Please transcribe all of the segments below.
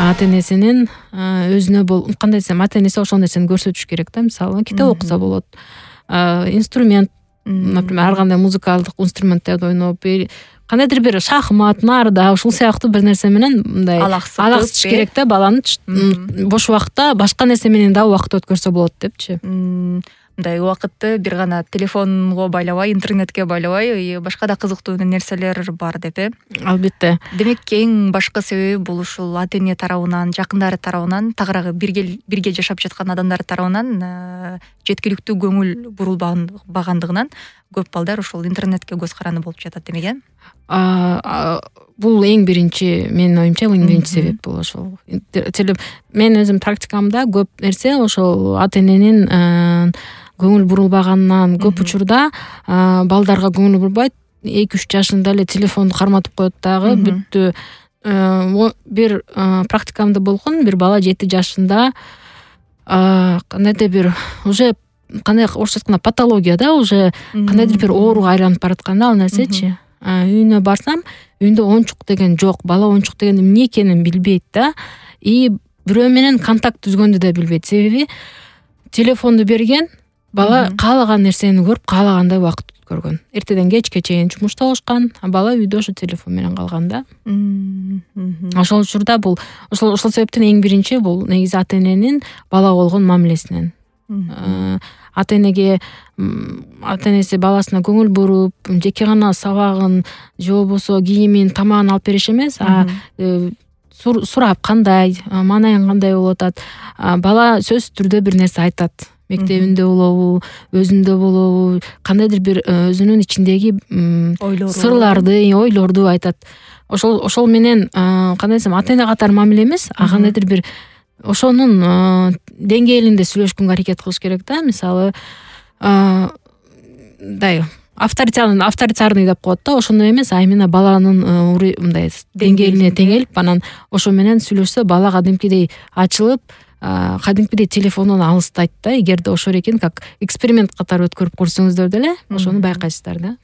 ата энесинин өзүнө кандай десем, ата энеси ошол нерсени көрсөтүш керек да. Мисалы китеп окуса болот, инструмент, например, ар кандай музыкалдык инструменттерди ойноп, кандайдыр бир шахмат, нарда, ушул сыяктуу бир нерсе менен мындай алаксытыш керек да баланы. Бош убакытта башка нерсе менен да убакыт өткөрсө болот депчи. Мындай убакытты бир гана телефонго байлабай, интернетке байлабай, башка да кызыктуу нерселер бар деп. Албетте. Демек эң башкы себеби бул ушул ата эне тарабынан, жакындары тарабынан, тагыраагы бирге жашап жаткан адамдар тарабынан жеткиликтүү көңүл бурулбагандыгынан көп балдар ушул интернетке көз каранды болуп жатат демек, Бул эң биринчи, менин оюмча, эң биринчи себеп бул ошол. Мен өзүм практикамда көп нерсе ошол ата эненин көңүл бурулбаганынан, көп учурда балдарга көңүл бурбайт, 2-3 жашында эле телефонду карматып коет дагы, бүттү. Бир практикамда болгон, бир бала 7 жашында кандайдыр бир уже кандай орусча айтканда патология да, уже кандайдыр бир ооруга айланып баратканда ал нерсечи. Үйүнө барсам, үйүндө оюнчук деген жок, бала оюнчук деген эмне экенин билбейт да, и бирөө менен контакт түзгөндү да билбейт. Себеби телефонду берген, бала каалаган нерсени көрүп, каалагандай убакыт өткөргөн. Эртеден кечке чейин жумушта болушкан, а бала үйдө ошо телефон менен калган да. Ошол учурда бул ошол себептен эң биринчи бул негизи ата эненин балага болгон мамилесинен. Ата энеси баласына көңүл буруп, жеке гана сабагын же болбосо кийимин, тамагын алып бериш эмес, сурап кандай, маанайың кандай болуп атат. Бала сөзсүз түрдө бир нерсе айтат. Мектебинде болобу, өзүндө болобу, кандайдыр бир өзүнүн ичиндеги сырларды, ойлорду айтат. Ошол менен кандай десем, ата эне катары мамиле эмес, кандайдыр бир ошонун деңгээлинде сүйлөшкөнгө аракет кылыш керек да. Мисалы, мындай авторитарный деп коет да, ошондой эмес, а именно баланын мындай деңгээлине теңелип, анан ошо менен сүйлөшсө, бала кадимкидей ачылып, кадимкидей телефондон алыстайт да. Эгерде ошол экен, как эксперимент катары өткөрүп көрсөңүздөр деле, ошону байкайсыздар да.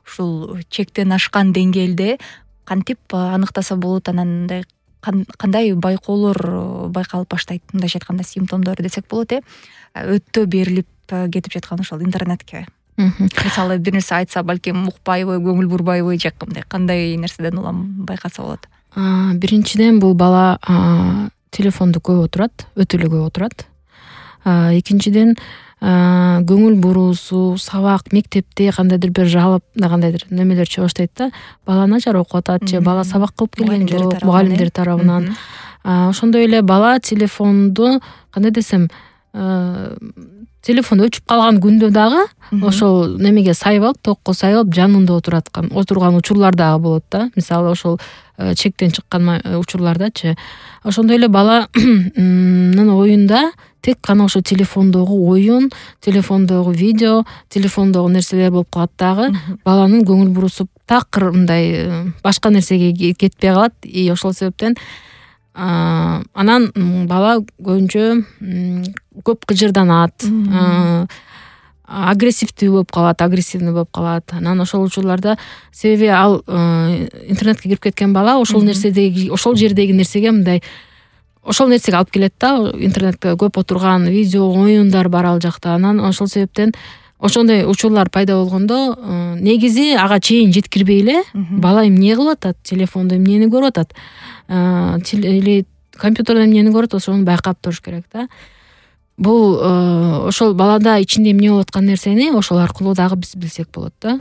Ушул чектен ашкан деңгээлде кантип аныктаса болот, анан кандай байкоолор байкалып баштайт, мындайча айтканда симптомдор десек болот, өтө берилип кетип жаткан ошол интернетке. Мисалы, бир нерсе айтса, балким укпайбы, көңүл бурбайбы, же кандай нерседен улам байкаса болот? Биринчиден бул бала телефонду көп отурат, өтө эле көп отурат. Экинчиден көңүл буруусу, сабак, мектепте кандайдыр бир жалып, кандайдыр немелер чыга баштайт да. Бала начар окуп атат, же бала сабак кылып келген жок, мугалимдер тарабынан. Ошондой эле бала телефонду, кандай десем, телефон өчүп калган күндө дагы ошол немеге сайып алып, токко сайып алып, жанында отурган учурлар дагы болот да. Мисалы, ошол чектен чыккан учурлардачы. Ошондой эле баланын оюнда тек гана ошо телефондогу оюн, телефондогу видео, телефондогу нерселер болуп калат дагы. Баланын көңүл буруусу такыр мындай башка нерсеге кетпей калат. И ошол себептен анан бала көбүнчө көп кыжырданат, агрессивдүү болуп калат, агрессивный болуп калат. Анан ошол учурларда, себеби ал интернетке кирип кеткен бала ошол нерседеги, ошол жердеги нерсеге мындай ошол нерсеге алып келет да. Интернетте көп отурган видео, оюндар бар ал жакта. Анан ошол себептен ошондой учурлар пайда болгондо, негизи ага чейин жеткирбей эле бала эмне кылып атат, телефондо эмнени көрүп атат, компьютердо эмнени көрүп атат, ошону байкап туруш керек да. Бул ошол балада ичинде эмне болуп аткан нерсени ошол аркылуу дагы биз билсек болот да.